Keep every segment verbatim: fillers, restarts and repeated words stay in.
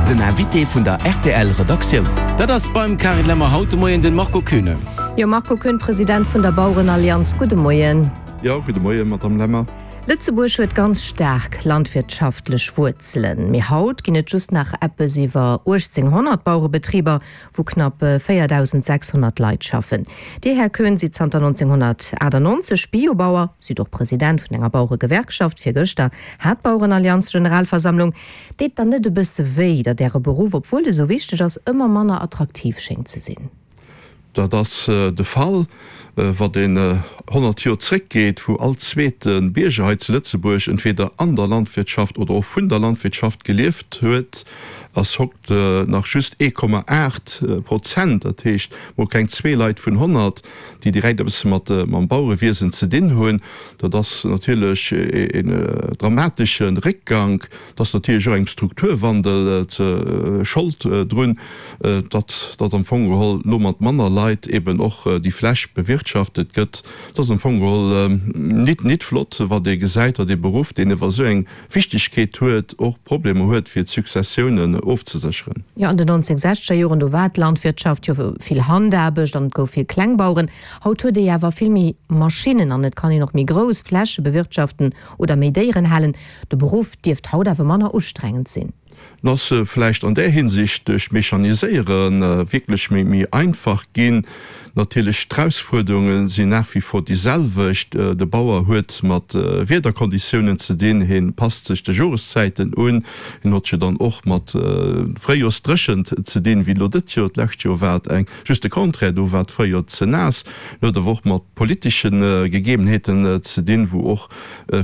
Den Invité vun der R T L Redaktioun. Dat ass beim Karin Lemmer haut de Moien den Marco Koeune. Jo, Marco Koeune, President vun der Bauerenallianz, gudde Moien. Jo, gudde Moien, Madame Lemmer. Lëtzebuerg huet ganz staark landwirtschaftlech Wuerzelen. Mee haut ginn et just nach eppes iwwer uechtzénghonnert Bauerebetriber, wou knapp véierdausend sechshonnert Leit schaffen. Dir, Här Koeune, sidd zanter nonzénghonnertaachtannonzeg Biobauer, sidd och President vun enger Baueregewerkschaft. Virgëschter hat d'Bauerenallianz Generalversammlung. Deet dann net e bësse wéi, datt Äre Beruff, obwuel e sou wichteg ass, ëmmer manner attraktiv schéngt ze sinn? Dat ass de Fall, wann een honnert Joer zréckgeet, wou all zweete Bierger hei zu Lëtzebuerg entweder an der Landwirtschaft oder och vun der Landwirtschaft gelieft huet, ass haut nach just ee Komma aacht Prozent, dat heescht mol keng zwee Leit vun honnert, déi direkt eppes mat mam Bauerewiesen ze dinn hunn. Dat ass natierlech een dramatesche Réckgank. Dat ass natierlech och engem Strukturwandel ze Schold drun, datt datt am Fong geholl lo mat manner Leit eben och déi Fläch bewirtschaftet gëtt. Dat ass am Fong geholl nit nit flott, wat ee gesäit, datt ee Beruff, deen ewer esou eng Wichtegkeet huet, och Problemer huet fir d'Successiounen ofzesécheren. Jo, an den nonzénhunnertsechzeger Joren, do war d'Landwirtschaft jo vill Handaarbecht an et gouf vill Klengbaueren. Haut huet ee jo awer vill méi Maschinnen an et kann een och méi grouss Fläche bewirtschaften oder méi Déieren halen. De Beruff dierft haut awer manner ustrengend sinn. En ass vläicht an där Hinsicht duerch d'Mechaniséiere wierklech méi méi einfach ginn. Natierlech, d'Erausfuerderunge sinn nach wie vor déi selwecht. De Bauer huet mat Wiederkonditiounen ze dinn, hien passt sech de Joreszäiten un, hien huet jo dann och mat Fréijorsdréchent ze dinn, wéi elo dëtt Joer. D'lescht Joer war et eng just de Contraire, do war d'Fréijoer ze naass. Hien huet awer och mat politesche Gegebenheeten ze dinn, wou och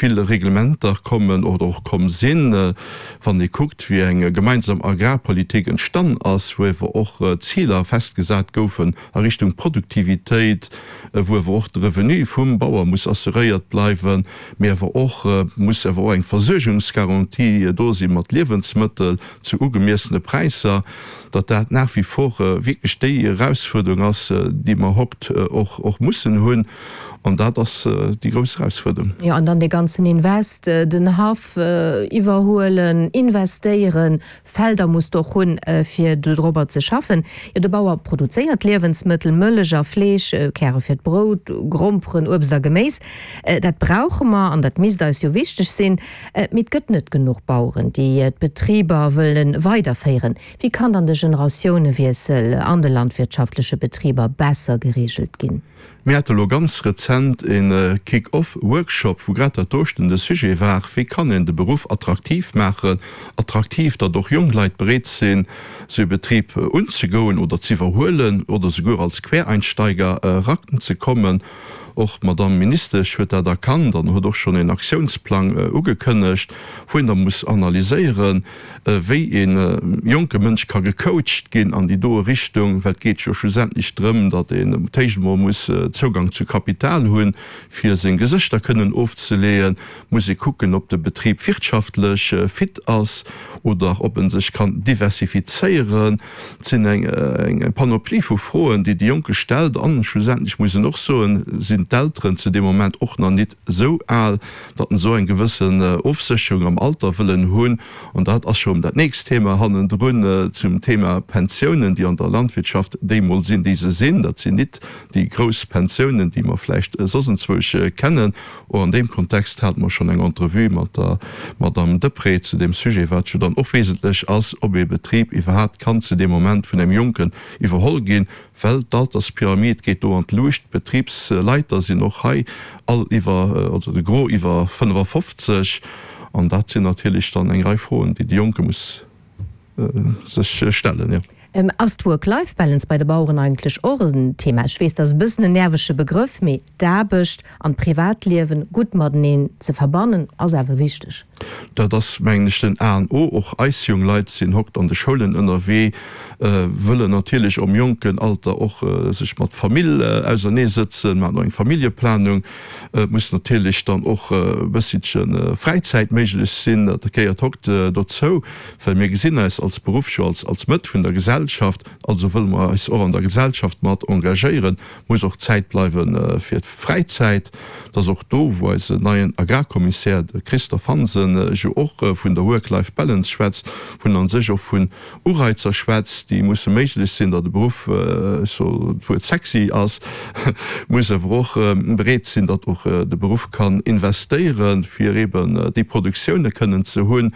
vill Reglementer kommen oder och komm sinn. Wann ee kuckt, wéi eng gemeinsam Agrarpolitik entstan ass, wou ewer och Ziler festgesat goufen a Richtung Produktivitéit, wou ewer och de Revenu vum Bauer muss assuréiert bleiwen, mee ewer och muss ewer och eng Versuergungsgarantie do si mat Liewensmëttel zu ugemiessene Präisser, datt dat nach wie vor wierklech déi Erausfuerderung ass, déi mer haut och och mussen hunn. An dat ass déi grouss Erausfuerderung. Jo, an dann dee ganzen Invest, den Haff iwwerhuelen, investéieren, Felder muss de och hunn, fir dodrobber ze schaffen. Jo, de Bauer produzéiert Liewensmëttel, Mëllech a Fleesch, Käre fir d'Brout, Gromperen, Uebst a Geméis. Dat brauche mer an dat misst eis jo wichteg sinn. Mee et gëtt net genuch Baueren, déi d'Betriber wëlle weiderféieren. Wéi kann dann de Generatiounewiessel an de landwirtschaftleche Betriber besser gereegelt ginn? Mir hate lo ganz rezent e Kick-off-Workshop, wou grad dat doten de Sujet war, wéi kann een de Beruff attraktiv maachen, attraktiv, datt och jonk Leit bereet sinn, sou e Betrib unzegoen oder ze iwwerhuelen oder souguer als Quereinsteiger eranzekommen. Och d'Madame Ministesch huet dat erkannt an huet och schonn een Aktiounsplang ugekënnegt, wou een da muss analyséieren, wéi ee jonke Mënsch ka gecoacht ginn an déi doe Richtung, well et geet jo schlussendlech drëm, datt een d'éischt emol muss Zougang zu Kapital hunn, fir seng Gesëschter kënnen ofzeleeën, muss ee kucken, ob de Betrib wirtschaftlech fit ass oder ob en sech kann diversifizéieren. Et sinn eng Panoplie vu Froen, déi de Jonke stellt. An schlussendlech muss een och soen, sinn d'Elteren zu deem Moment och nach nit esou al, datt en esou eng gewëssen Ofsécherung am Alter wëllen hunn. An dat ass scho dat nächst Thema hannendrun zum Thema Pensiounen, déi an der Landwirtschaft déi mol sinn, déi se sinn. Dat sinn nit déi grouss Pensiounen, déi mer vläicht soss enzwousch kennen. Och an deem Kontext hate mer schonn eng Entrevue mat der Madame Deprez zu deem Sujet, wat jo dann och wesentlech ass, ob ee Betrib iwwerhaapt kann zu deem Moment vun engem Jonken iwwerholl ginn, well d'Alterspyramid geet do an d'Luucht, d'Betribsleiter sinn och hei all iwwer, also de Gros iwwer fënnefafofzeg, an dat sinn natierlech dann eng Rei Froen, déi de Jonke muss sech stellen, jo. Ass d'Work-Life-Balance bei de Baueren eigentlech och en Thema? Ech weess, dat ass e bëssen en nervege Begrëff, mee d'Aarbecht an d'Privatliewen gutt mateneen ze verbannen, ass awer wichteg. Dat ass, mengen ech, den A an O. Och eis jong Leit sinn hokt an de Schoulen ënnerwee, wëllen natierlech am jonken Alter och sech mat Famill auserneesëtzen, maachen och eng Familljeplanung. Et muss natierlech dann och e bësselche Fräizäit méiglech sinn. Dat gehéiert hokt dozou, well mir gesinn eis als Beruff jo als Mëtt vun der Gesellschaft. Gesellschaft, also wëlle mer eis och an der Gesellschaft mat engagéieren, muss och Zäit bleiwe fir d'Fräizäit. Et ass och do, wou eisen neien Agrarkommissär, de Christophe Hansen, jo och vun der Work-Life-Balance schwätzt, vun a sech och vun Ureizer schwätzt, déi musse méiglech sinn, datt de Beruff, ech soen d'Wuert sexy ass, muss awer och bereet sinn, datt och de Beruff kann investéieren, fir eben déi Produktioune kënnen ze hunn.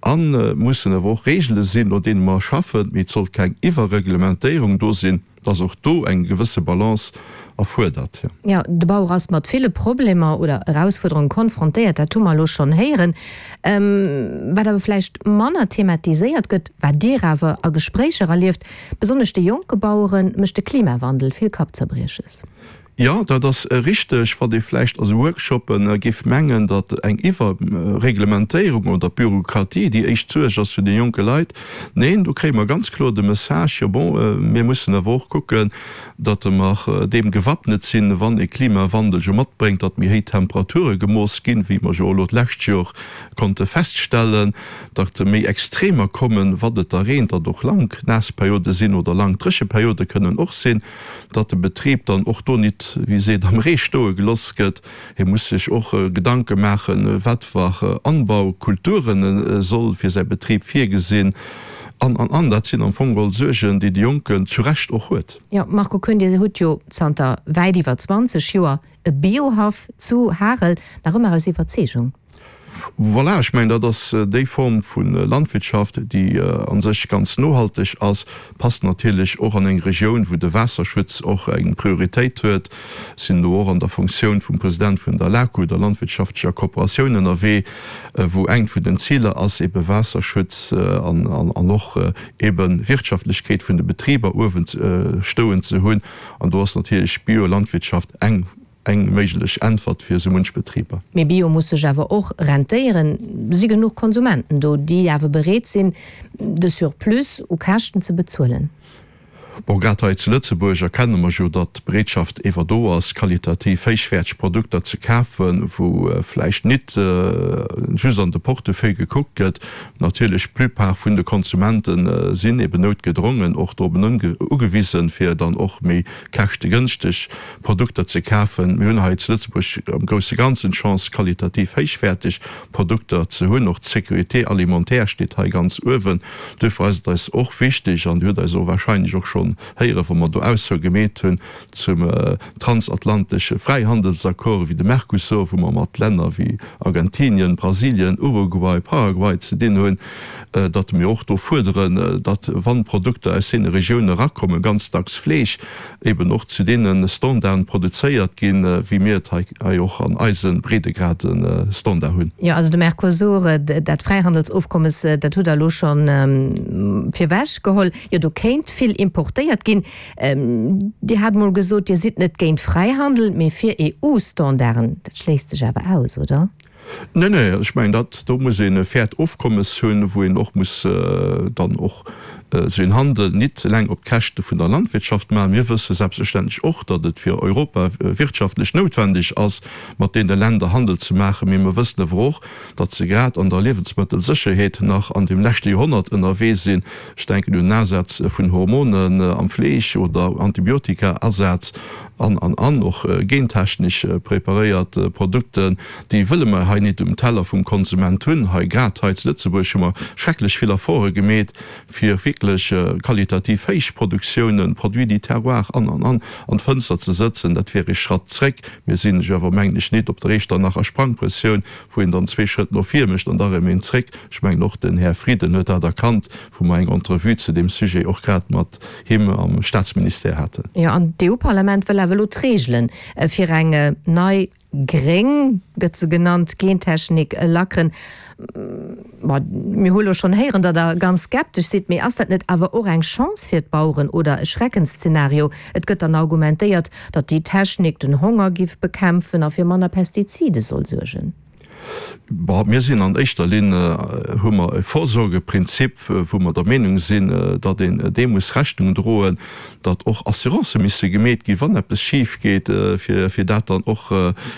A mussen awer och Regele sinn, no deene mer schaffen, mee et sollt keng Iwwerreglementéierung do sinn, dass och do eng gewësse Balance erfuerdert. Jo, de Bauer ass mat ville Problemer oder Erausfuerderunge konfrontéiert, dat hu mer elo schonn héieren. Wat awer vläicht manner thematiséiert gëtt, wat Dir awer a Gespréicher erlieft, besonnesch de jonke Bauere mécht de Klimawandel vill Kappzerbrieches. Jo, dat ass richteg. Wat ee vläicht a sou Workshoppe géif mengen, datt eng Iwwerreglementéierung oder Bürokratie déi éischt Suerg ass vun de jonke Leit. Neen, do kréie mer ganz kloer de Message, jo bon, mir mussen awer och kucken, datt mer deem gewappnet sinn, wann e Klimawandel jo matbréngt, datt méi héich Temperature gemooss ginn, wéi mer jo elo d'lescht Joer konnte feststellen, datt méi Extremer kommen, wann et da reent, datt och laang naass Periode sinn oder laang dréche Periode kënnen och sinn. datt de Betrib dann och do nit, wéi seet, am Ree stoe geloss gëtt. Hie muss sech och Gedanke maachen, wat fir Anbaukulturen e soll fir säi Betrib virgesinn an, an, an. Dat sinn am Fong geholl Suergen, déi de Jonken zu Recht och huet. Jo, Marco Koenig, Dir hutt jo zanter wäit iwwer zwanzeg Joer e Biohaff zu Harel, nach ëmmer aus Iwwerzeegung. Voilà, ech mengen, dat ass déi Form vu Landwirtschaft, déi a sech ganz nohalteg ass, passt natierlech och an eng Regioun, wou de Waasserschutz och eng Prioritéit huet. Ech sinn do och an der Funktioun vum President vun der LACO, der landwirtschaftlecher Kooperatioun, ënnerwee, wou engt vun den Ziler ass, ebe Waasserschutz an och ebe Wirtschaftlechkeet vun de Betriber uewen stoen ze hunn. An do ass natierlech Biolandwirtschaft eng Eng méiglech Äntwert fir esou munch Betriber. Mee Bio muss sech awer och rentéieren. Si genuch Konsumenten do, déi awer bereet sinn, de Surplus u Käschten ze bezuelen? Bon, grad hei zu Lëtzebuerg erkenne mer jo, datt d'Bereetschaft ewer do ass, qualitativ héichwäerteg Produkter ze kafen, wou vläicht nit just an de Portefeuille gekuckt gëtt. Natierlech, d'Plupart vun de Konsumente sinn eben noutgedrongen och drop ugewisen, fir dann och méi käschtegënschteg Produkter ze kafen. Mir hunn hei zu Lëtzebuerg am grousse Ganzen d'Chance, qualitativ héichwäerteg Produkter ze hunn. Och d'Sécurité alimentaire steet hei ganz uewen. Duerfir ass et eis och wichteg, an Dir hutt eis och wahrscheinlech och schonn héieren, wa mer do Aussoe gemeet hunn zum transatlantesche Fräihandelsaccord wéi de Mercosur, wou mer mat Länner wéi Argentinien, Brasilien, Uruguay, Paraguay ze dinn hunn, datt mir och do fuerderen, datt wann Produkter aus deene Regioune erakommen, ganz dacks Fleesch, eben och zu deene Standarden produzéiert ginn, wéi mir et hei och an eise Breedegrade Standard hunn. Jo, also de Mercosur, dat Fräihandelsofkommes, dat hutt Der elo scho virwech geholl. Jo, do kéint vill importéiert ginn. Dir hat emol gesot, Dir sidd net géint Fräihandel, mee fir EU-Standarden. Dat schléisst sech awer aus, oder? Nee, nee, ech mengen, dat do muss een e fairt Ofkommes hunn, wou een och muss dann och esou een Handel nit eleng op d'Käschte vun der Landwirtschaft maachen. Mir wësse selbstverständlech och, datt et fir Europa wirtschaftlech noutwendeg ass, mat deene Länder Handel ze maachen, mee mer wëssen awer och, datt se grad an der Liewensmëttelsécherheet nach an deem leschte Joerhonnert ënnerwee sinn. Ech denken un den Asaz vun Hormonen am Fleesch oder Antibiotika-Asaz. An, an, an och gentechnesch preparéiert Produkten, déi wëlle mer hei nit um Teller vum Konsument hunn. Hei, grad hei zu Lëtzebuerg, hu mer schrecklech vill Efforte gemeet, fir wierklech qualitativ héich Produktiounen, Produits du terroir an, an, an, an d'Fënster ze sëtzen. Dat wier ee Schratt zréck. Mir sinn jo awer, mengen ech, nit op der Echternacher Sprangprëssioun, wou een dann zwee Schrëtt no vir mécht an da erëm een zréck. Ech mengen, och den Här Frieden huet dat erkannt, wou mer eng Entrevue zu deem Sujet och grad mat him am Staatsministère haten. Jo, an d'EU-Parlament wëll awer elo d'Reegele fir eng nei gréng, gëtt se genannt, Gentechnik lackeren. Ma mir hu lo schonn héieren, datt Der ganz skeptesch sidd. Mee ass dat net awer och eng Chance fir d'Baueren oder e Schreckensszenario? Et gëtt dann argumentéiert, datt déi Technik den Honger giff bekämpfen a fir manner Pestizide soll suergen. Bon, mir sinn an éischter Linn, hu mer e Vorsorgeprinzip, wou mer der Meenung sinn, datt een deem muss Rechnung droen, datt och Assurancë misse gemeet ginn, wann eppes schif geet, fir, fir dat dann och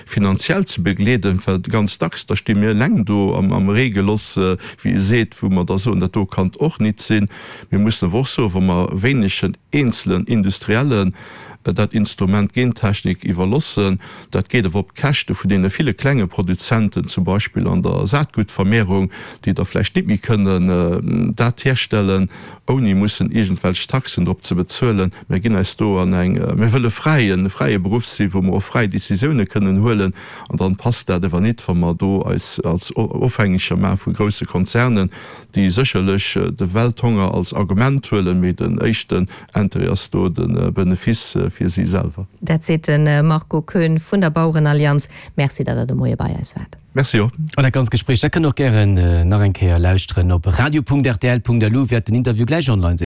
finanziell ze begleeden, well ganz dacks, da sti mir eleng do am, am Ree geloss, wéi ee seet, wou mer da soen, dat do kann och nit sinn. Mir mussen awer och soen, wa mer wéinegen eenzelen Industriellen dat Instrument Gentechnik iwwerlossen, dat geet awer op d'Käschte vun deene ville klenge Produzenten, zum Beispill an der Saatgutvermehrung, déi da vläicht nit méi kënnen dat herstellen, ouni mussen iergendwelch Taxen drop ze bezuelen. Mir ginn eis do an eng, mir wëlle fräi, e fräie Beruff sinn, wou mer och fräi Décisioune kënnen huelen, an dann passt dat awer nit, wa mer do eis als Ofhängeger maache vu grousse Konzernen, déi sécherlech de Welthonger als Argument huelen, mee den éischten Intérêt ass do de Benefice fir si selwer. Dat seet de Marco Koeune vun der Bauerenallianz. Merci, datt Der de Moie bei eis waart. Merci och. An dat ganzt Gespréich, dat kënnt Der och gären nach eng Kéier lauschteren op radio.rtl.lu wäert den Interview gläich online sinn.